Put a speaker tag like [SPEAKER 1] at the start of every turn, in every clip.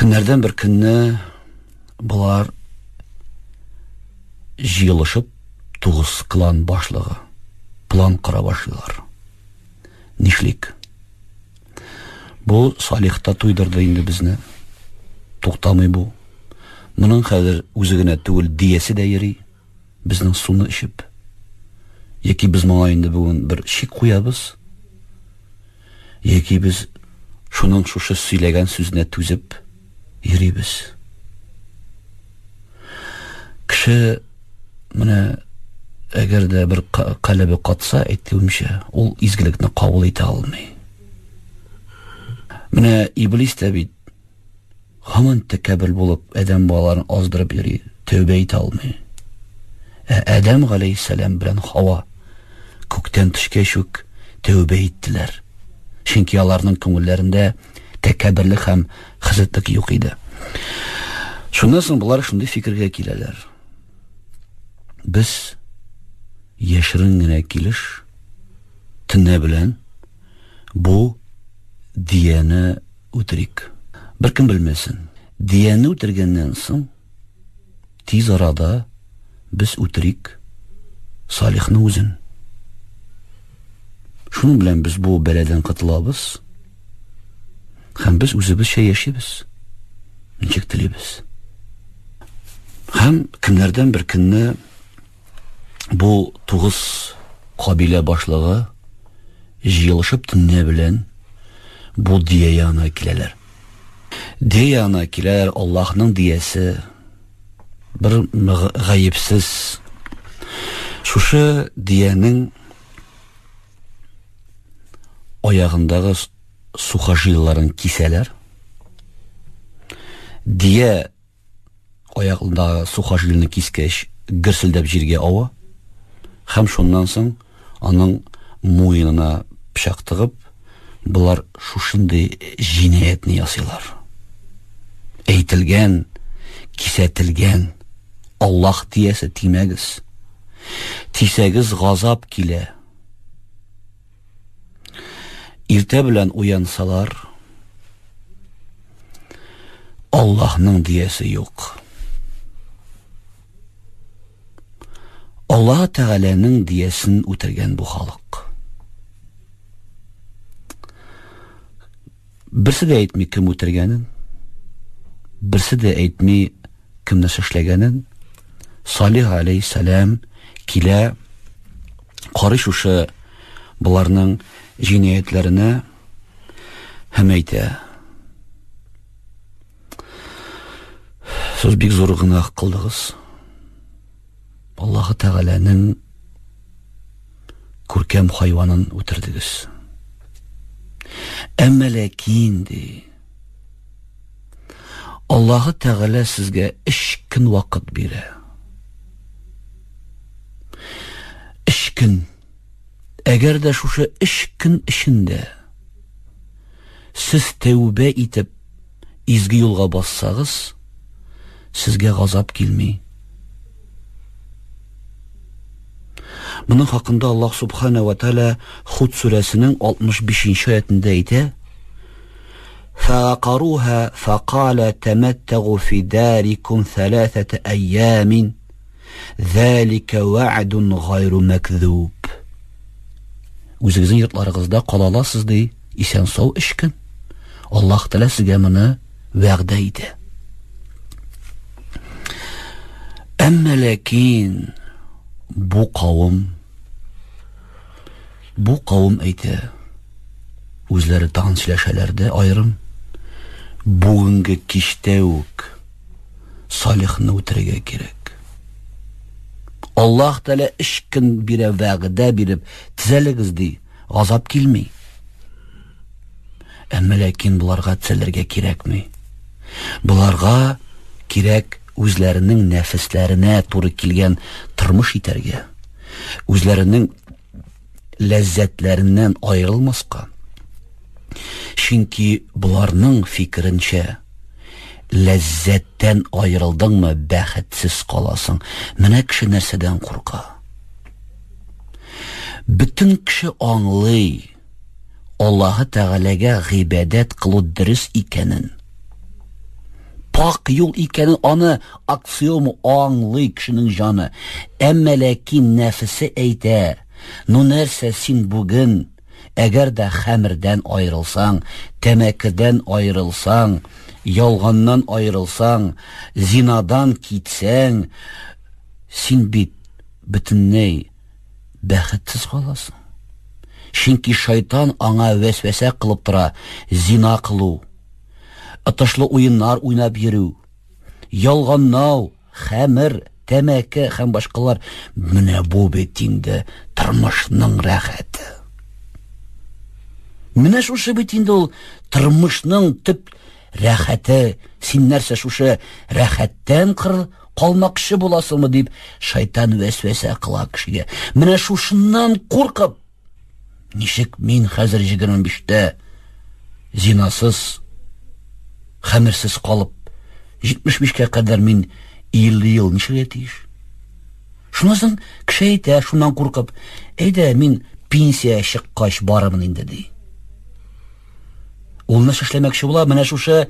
[SPEAKER 1] Көннәрдән бер көнне болар җыелышып тугыз клан башлыгы план кора башлыйлар. Нишлик? Бу Салих та туйдырды инде безне. Туктамый бу. Моның хәзер үзе генә түгел, диясе дә йөри. Безнең суны эчеп. Яки без моңа инде бүген бер чик куябыз. Яки без шуның шушы сөйләгән сүзенә түзеп йөрибез. Кеше менә әгәр дә бер калебе катса, әйтүемчә, ул изгелекне кабул итә алмый. Менә иблис тә бит һаман тәкәббер булып адәм балаларын аздырып йөри, тәүбә итә алмый. Ә Адәм галәйһиссәлам белән Хава күктән төшкәч үк тәүбә иттеләр. Чөнки аларның күңелләрендә тәкәбберлек һәм хәсәтлек юк иде. Шуннан соң болар шундый фикергә киләләр. Без яшерен генә килеш төнлә белән бу дияне үтерик. Беркем белмәсен. Дияне үтергәннән соң тиз арада без үтерик Салихны үзен. Шуның белән без бу бәладән котылабыз. Һәм без үзебезчә яшибез. Ничек телибез. Һәм көннәрдән бер көнне бу тугыз кабилә башлыгы җыелышып төнлә белән бу дия янына киләләр. Дия янына киләләр, Аллаһның диясе бер гаепсез. Шушы диянең аягындагы сухожилиеларын кисәләр. Дия Аягындагы сухожилиене кискәч, гөрселдәп җиргә ава һәм шуннан соң аның муенына пычак тыгып, болар шушындый җинаятьне ясыйлар. Әйтелгән, кисәтелгән, Аллаһ тиясе тимәгез. Тисәгез газап килә. Иртә белән уянсалар, Аллаһның диясе юк. Аллаһ Тәгаләнең диясен үтергән бу халык. Берсе дә әйтми кем үтергәнен, берсе дә әйтми кем нәрсә эшләгәнен. Салих алейһиссәлам килә, карый шушы боларның җинаятьләренә һәм әйтә: Сез бик зур гөнаһ кылдыгыз. Аллаһы Тәгаләнең күркәм хайванын үтердегез. Әмма ләкин ди, Аллаһы Тәгалә сезгә өч көн вакыт бирә. Өч көн. Әгәр дә шушы өч көн эчендә сез тәүбә итеп изге юлга бассагыз, сезгә газап килми. Моның хакында Аллаһ Субхана ва Тааля Худ сүрәсенең 65 аятында әйтә: فعقروها فقال تمتعوا في داركم ثلاثة أيام ذلك وعد غير مكذوب. Үзегезнең йортларыгызда кала аласыз ди, исән сау өч көн. Аллаһ Тәгалә сезгә моны вәгъдә итә. Әмма ләкин бу кавым бу кавым әйтә, үзләре тагын сөйләшәләр дә аерым, бүгенге кичтә үк Салихны үтерергә кирәк. Аллаһ Тәгалә өч көн бирә вәгъдә биреп, төзәлегез ди, газап килми. Әмма ләкин боларга төзәлергә кирәкми. Боларга кирәк үзләренең нәфесләренә туры килгән тормыш итәргә, үзләренең ләззәтләреннән аерылмаска. Чөнки боларның фикеренчә, ләззәттән аерылдыңмы, бәхетсез каласың. Менә кеше нәрсәдән курка. Бөтен кеше аңлый, Аллаһы Тәгаләгә гыйбадәт кылу дөрес икәнен. Пак юл икәнен аны аксиома аңлый кешенең җаны. Әмма ләкин нәфесе әйтә: "Ну нәрсә син бүген әгәр дә хәмердән аерылсаң, тәмәкедән аерылсаң, ялганнан аерылсаң, зинадан китсәң, син бит бөтенләй бәхетсез каласың. Чөнки шайтан аңа вәсвәсә кылып тора, зина кылу, ытышлы уеннар уйнап йөрү, ялганнау, хәмер, тәмәке һәм башкалар. Менә бу бит инде тормышның рәхәте. Менә шушы бит инде ул тормышның төп рәхәте. Син нәрсә шушы рәхәттән кыр калмакчы буласыңмы дип шайтан вәсвәсә кыла кешегә. Менә шушыннан куркып, ничек мин хәзер 25-тә зинасыз, хәмерсез калып, 75-кә кадәр мин 50 ел нишләргә тиеш? Шуннан соң кеше әйтә, шуннан куркып, әйдә, мин пенсия чыккач барырмын инде, ди. Ул нәрсә эшләмәкче була? Менә шушы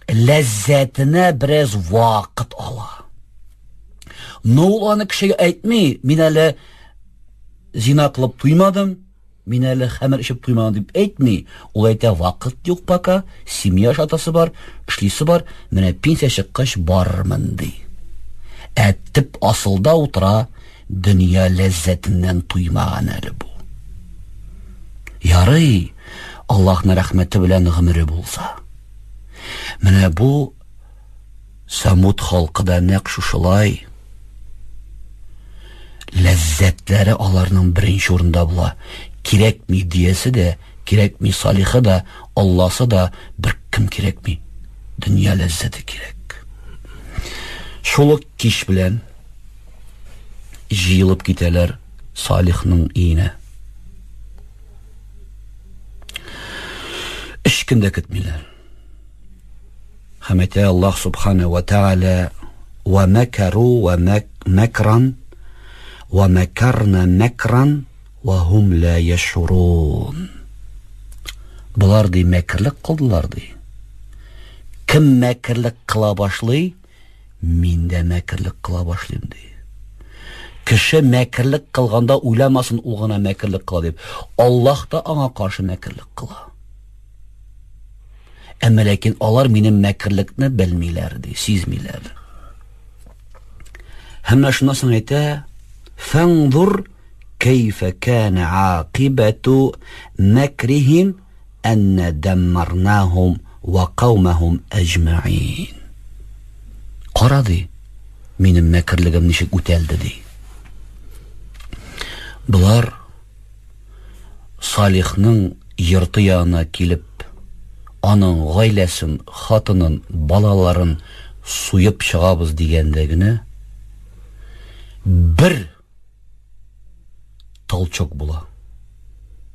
[SPEAKER 1] ләззәтенә бераз вакыт ала. Но ул аны кешегә әйтми, мин әле зина кылып туймадым, мин әле хәмер эчеп туймадым дип әйтми. Ул әйтә, вакыт юк пока, семья ашатасы бар, эшлисе бар, менә пенсия чыккач барырмын ди. Ә төп асылда утыра, дөнья ләззәтеннән туймаган әле бу. Ярый, Аллаһның рәхмәте белән гомере булса. Менә бу Самуд халкы да нәкъ шушылай. Ләззәтләре аларның беренче урында була. Кирәкми диясе дә, кирәкми Салихы да, Алласы да, бер кем кирәкми. Дөнья ләззәте кирәк. Шул ук кич белән җыелып китәләр Салихның өенә. Өч көн дә көтмиләр. Һәм әйтә Аллаһ Субхана ва Тааля: "Ва макару ва макран ва макарна макран ва хум ла яшурун." Болар ди мәкерлек кылдылар ди. Кем мәкерлек кыла башлый, мин дә мәкерлек кыла башлыйм ди. Кеше мәкерлек кылганда уйламасын ул гына мәкерлек кыла дип. Аллаһ та аңа каршы мәкерлек кыла. Әмма ләкин алар минем мәкерлекне белмиләр ди, сизмиләр. Һәм менә шуннан соң әйтә, "Фаңзур кайфа кана акибату мәкрихим әнна даммарнахум ва каумахум әҗмәгин." Кара ди, минем мәкерлегем ничек үтәлде ди. Болар Салихның йорты янына килеп, аның гаиләсен, хатынын, балаларын суеп чыгабыз дигәндә генә бер толчок була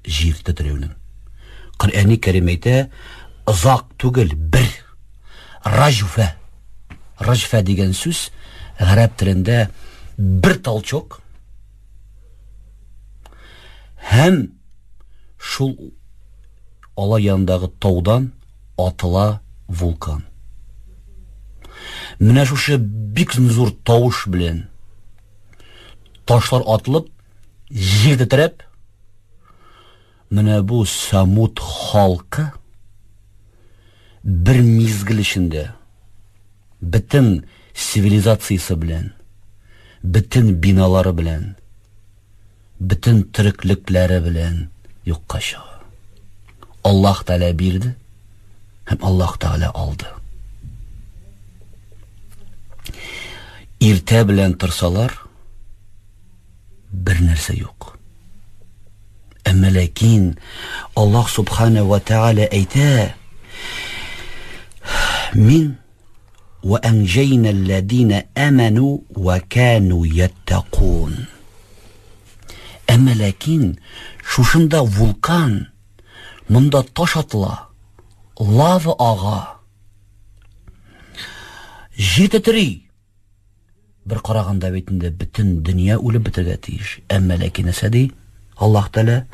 [SPEAKER 1] җир тетрәүнең. Коръәни Кәрим әйтә, озак түгел, бер раҗфә. Раҗфә дигән сүз гарәп телендә бер толчок Һәм шул алар янындагы таудан атыла вулкан. Менә шушы бик зур тавыш белән ташлар атылып, җир тетрәп, менә бу Самут халкы бер мизгел эчендә бөтен цивилизациясе белән, бөтен биналары белән, бөтен тереклекләре белән юкка чыга. Аллаһ Тәгалә бирде һәм Аллаһ Тәгалә алды. Иртә белән торсалар, бер нәрсә юк. Әмма ләкин Аллаһ Субхана ва Тәгалә әйтә, мин ва әнҗәйнә алләзина аману ва кану яттакун. Әмма ләкин шушында вулкан, монда таш атыла, лава ага. Җир тетри. Бер караганда бит инде бөтен дөнья үлеп бетәргә тиеш. Әмма ләкин нәрсә ди? Аллаһ Тәгалә: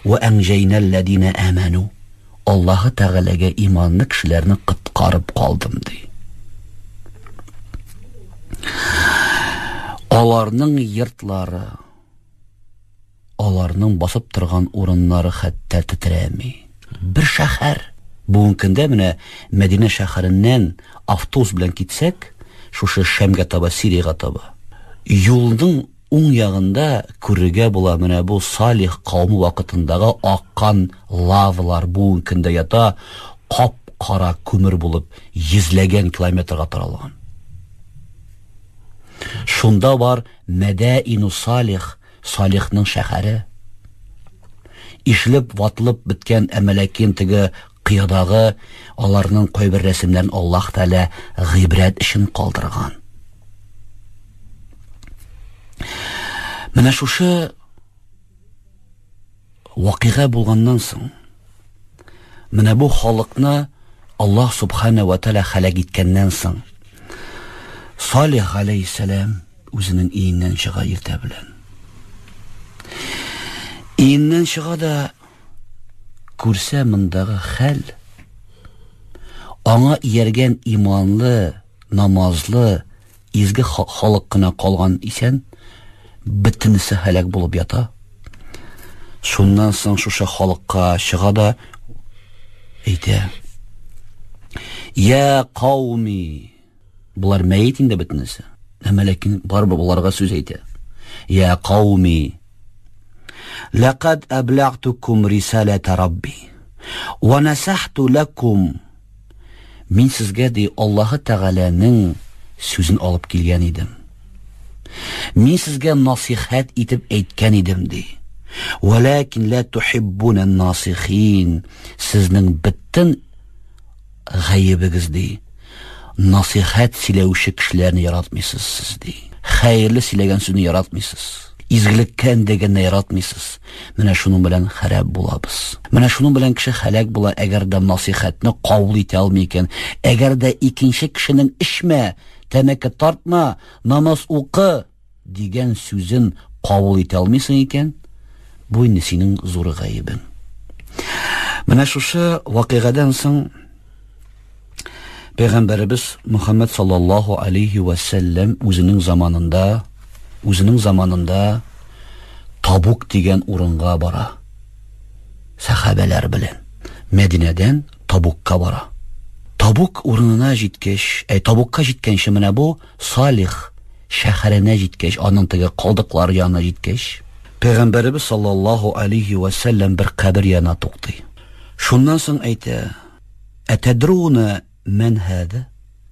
[SPEAKER 1] "Ва әнҗәйнәлләзина аману." Аллаһы Тәгаләгә иманлы кешеләрне коткарып калдым ди. Аларның йортлары, аларның басып торган урыннары хәтта тетрәми. Бер шәһәр. Бүгенге көндә менә Мәдинә шәһәреннән автобус белән китсәк, шушы Шәмгә таба, Сириягә таба, юлның уң ягында күрергә була менә бу Салих кавымы вакытындагы аккан лавалар бүгенге көндә ята, кап-кара күмер булып йөзләгән километрга таралган. Шунда бар Мәдәину Салих, Салихның шәһәре. Ишелеп, ватылып беткән, әмма ләкин теге кыядагы аларның кайбер рәсемнәрен Аллаһ Тәгалә гыйбрәт өчен калдырган. Менә шушы вакыйга булганнан соң, менә бу халыкны Аллаһ Субхана ва Тәгалә һәлак иткәннән соң, Салих галәйһиссәлам үзенең өеннән чыга иртә белән. Өеннән чыга да күрсә мондагы хәл, аңа ияргән иманлы, намазлы, изге халык кына калган исән, бөтенесе һәлак булып ята. Шуннан соң шушы халыкка чыга да әйтә: Я кауми, болар мәет инде бөтенесе. Әмма ләкин барыбер боларга сүз әйтә. Я кауми, ләкад әбләгтукум рисалата рабби ва насахту лакум. Мин сезгә, ди, Аллаһы Тәгаләнең сүзен алып килгән идем. Мин сезгә насихәт итеп әйткән идем, ди. Вәләкин ла тухиббуна насихин. Сезнең бөтен гаебегез, ди, насихәт сөйләүче кешеләрне яратмыйсыз сез, ди. Хәерле сөйләгән сүзне яратмыйсыз. Изгелеккә өндәгәнне яратмыйсыз. Менә шуның белән харап булабыз. Менә шуның белән кеше һәлак була, әгәр дә насихәтне кабул итә алмый икән. Әгәр дә икенче кешенең эчмә, тәмәке тартма, намаз укы дигән сүзен кабул итә алмыйсың икән, бу инде синең зур гаебең. Менә шушы вакыйгадан соң Пәйгамбәребез Мөхәммәд саллаллаһу алейхи ва сәлләм үзенең заманында, үзенең заманында Табук дигән урынга бара. Сәхабәләр белән Мәдинәдән Табукка бара. Табук урынына җиткәч, әй Табукка җиткәнче менә бу Салих шәһәренә җиткәч, аның теге калдыклары янына җиткәч, Пәйгамбәребез саллаллаһу алейхи ва сәлләм бер кабер янына туктый. Шуннан соң әйтә: Әтәдруна мән һәдә?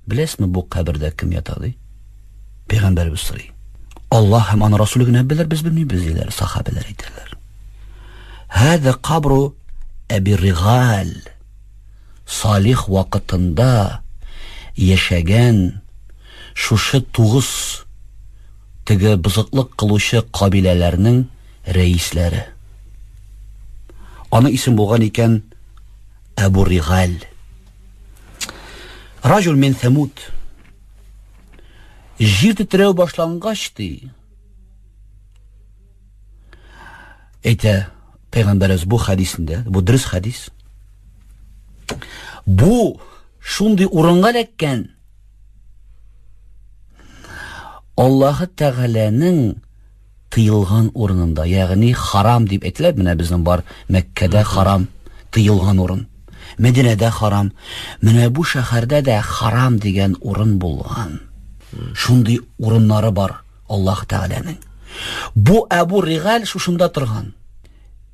[SPEAKER 1] Беләсезме, бу кабердә кем ята, ди? Пәйгамбәребез сорый. Аллаһ һәм аның Расулы генә белер, без белмибез, диләр, сахабәләр әйтәләр. Һәдә кабру Әби Ригаль. Салих вакытында яшәгән шушы тугыз теге бозыклык кылучы кабиләләрнең рәисләре. Аның исем булган икән Әбу Ригаль. Раҗул мин Сәмуд. Җир тетрәү башлангач, ди, әйтә пәйгамбәребез бу хәдисендә, бу дөрес хәдис. Бу шундый урынга эләккән, Аллаһы Тәгаләнең тыелган урынында, ягъни харам дип әйтелә, менә безнең бар Мәккәдә харам, тыелган урын. Мәдинәдә харам. Менә бу шәһәрдә дә харам дигән урын булган. Шундый урыннары бар Аллаһ Тәгаләнең. Бу Әбу Ригаль шушында торган.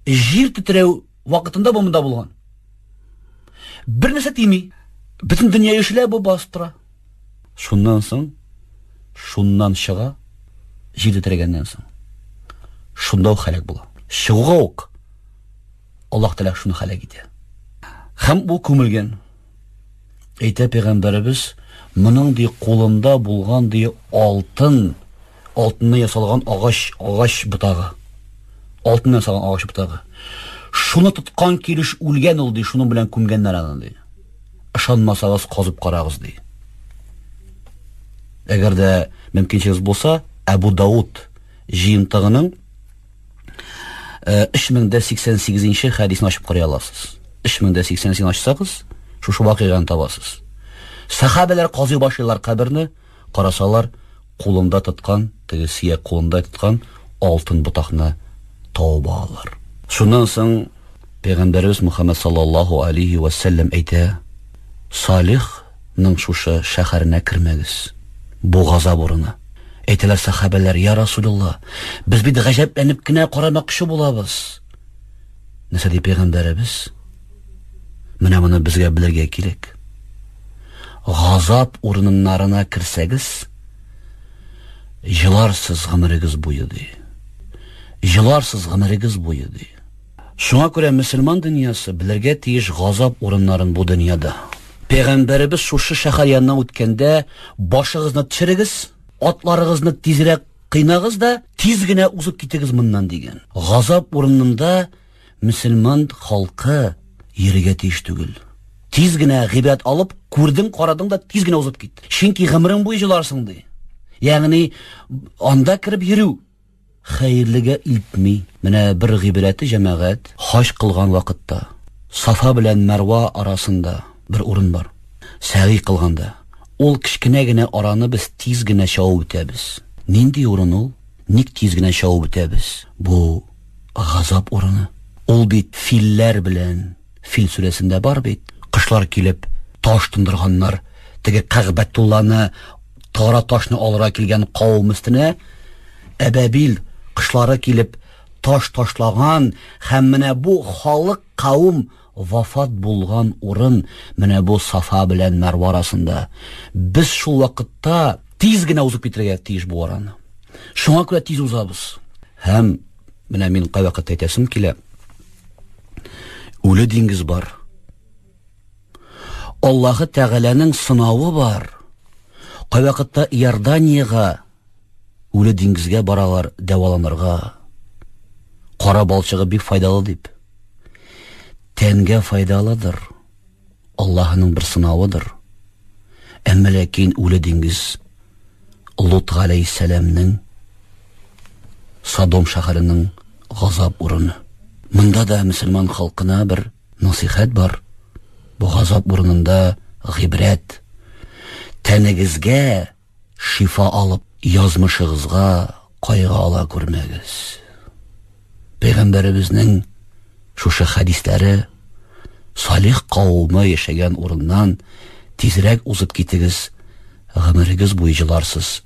[SPEAKER 1] Җир тетрәү вакытында бу монда булган. Бер нәрсә тими. Бөтен дөнья ишелә, бу басып тора. Шуннан соң, шуннан чыга, җир тетрәгәннән соң. Шунда ук һәлак була. Чыгуга ук Аллаһ Тәгалә шуны һәлак итә. Һәм бу күмелгән. Әйтә пәйгамбәребез, моның ди кулында булган ди алтын, алтыннан ясалган агач, агач ботагы. Алтыннан ясалган агач ботагы. Шуны тоткан килеш үлгән ул ди, шуның белән күмгәннәр аны ди. Ышанмасагыз, казып карагыз ди. Әгәр дә мөмкинчелегез булса, Әбу Дауд җыентыгының 3088 нче хәдисен ачып карый аласыз. 3088 ачсагыз, шушы вакыйганы табасыз. Сахабәләр казый башлыйлар каберне, карасалар, кулында тоткан, теге сөяк кулында тоткан алтын ботакны табып алалар. Шуннан соң Пәйгамбәребез Мухаммад саллаллаһу алейхи ва сәлләм әйтә, Салихның шушы шәһәренә кермәгез. Бу газап урыны. Әйтәләр сахабәләр, я Расулулла, без бит гаҗәпләнеп кенә карамакчы булабыз. Нәрсә ди пәйгамбәребез? Менә моны безгә белергә кирәк. Газап урыннарына керсәгез, җыларсыз гомерегез буе ди. Җыларсыз гомерегез буе ди. Шуңа күрә мөселман дөньясы белергә тиеш газап урыннарын бу дөньяда. Пәйгамбәребез шушы шәһәр яныннан үткәндә, башыгызны төшерегез, атларыгызны тизрәк кыйнагыз да, тиз генә узып китегез моннан дигән. Газап урынында мөселман халкы йөрергә тиеш түгел. Тиз генә гыйбрәт алып, күрдең, карадың да тиз генә узып кит. Чөнки гомерең буе җыларсың ди. Ягъни анда кереп йөрү хәерлегә илтми. Менә бер гыйбрәте җәмәгать, хаҗ кылган вакытта Сафа белән Мәрва арасында бер урын бар. Сәгый кылганда ул кечкенә генә араны без тиз генә чабып үтәбез. Нинди урын ул? Ник тиз генә чабып үтәбез? Бу газап урыны. Ул бит филләр белән, Фил сүрәсендә бар бит, кошлар килеп таш тондырганнар. Теге Кәгъбәтулланы тара ташны алырга килгән кавым өстенә әбәбил кошлары килеп таш ташлаган һәм менә бу халык кавым вафат булган урын менә бу Сафа белән Мәрва арасында. Без шул вакытта тиз генә узып китәргә тиеш бу араны. Шуңа күрә тиз узабыз. Һәм менә мин кайвакыт әйтәсем килә. Үле диңгез бар. Аллаһы Тәгаләнең сынавы бар. Кайвакытта Иорданиягә үле диңгезгә баралар дәваланырга. Кара балчыгы бик файдалы дип. Тәнгә файдалыдыр. Аллаһының бер сынавыдыр. Әмма ләкин үле диңгез Лут галәйһиссәламнең Содом шәһәренең газап урыны. Монда да мөселман халкына бер насыйхәт бар. Бу газап урынында гыйбрәт. Тәнегезгә шифа алып, язмышыгызга кайгы ала күрмәгез. Пәйгамбәребезнең шушы хәдисләре Салих кавымы яшәгән урыннан тизрәк узып китегез, гомерегез буе җыларсыз,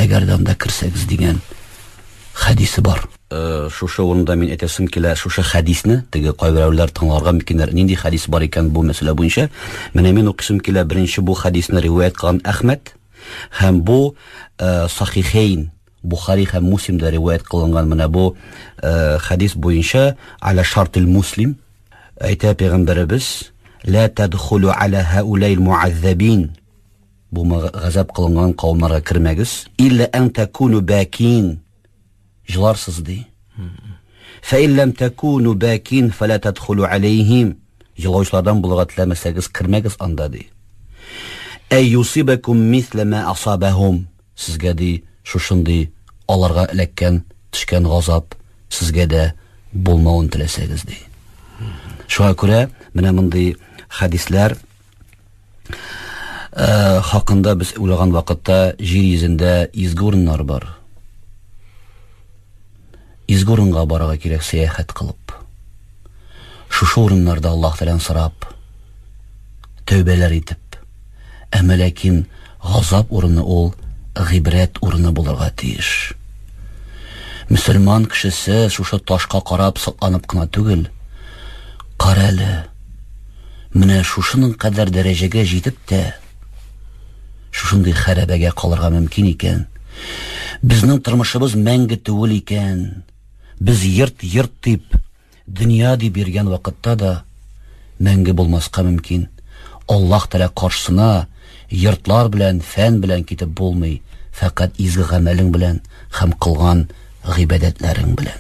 [SPEAKER 1] әгәр дә анда керсәгез дигән хәдисе бар. Э, шушы урында мин әйтәсем килә, шушы хәдисне теге кайберәүләр тыңларга мөмкиннәр. Нинди хәдис бар икән бу мәсьәлә буенча? Менә мин укыйсым килә, беренче бу хәдисне риваять кылган Әхмәд һәм бу э, Сахихейн Бухари һәм Муслимда риваять кылынган менә бу э, хәдис буенча аля шартил муслим әйтә пәйгамбәребез ла тадхулу аля хаулаил муаззабин бу газап кылынган кавымнарга кермәгез илля ан такуну бакин җыларсыз ди фә ин ләм такуну бакин фәлә тадхулу алейхим җылаучылардан булырга теләмәсәгез кермәгез анда ди әй юсибакум мислә ма асабахум Сезгә, ди, шушындый аларга эләккән, төшкән газап сезгә дә булмавын теләсәгез, ди. Шуңа күрә менә мондый хәдисләр э, хакында без уйлаган вакытта җир йөзендә изге урыннар бар. Изге урынга барырга кирәк сәяхәт кылып. Шушы урыннарда Аллаһ Тәгаләдән сорап, тәүбәләр итеп, әмма ләкин газап урыны ул гыйбрәт урыны булырга тиеш. Мөселман кешесе шушы ташка карап сокланып кына түгел, кара әле, менә шушының кадәр дәрәҗәгә җитеп тә, шушындый хәрабәгә калырга мөмкин икән. Безнең тормышыбыз мәңге түгел икән. Без йорт-йорт дип, дөнья дип йөргән вакытта да мәңге булмаска мөмкин. Аллаһ Тәгалә каршысына йортлар белән, фән белән китеп булмый, фәкать изге гамәлең белән һәм кылган гыйбадәтләрең белән.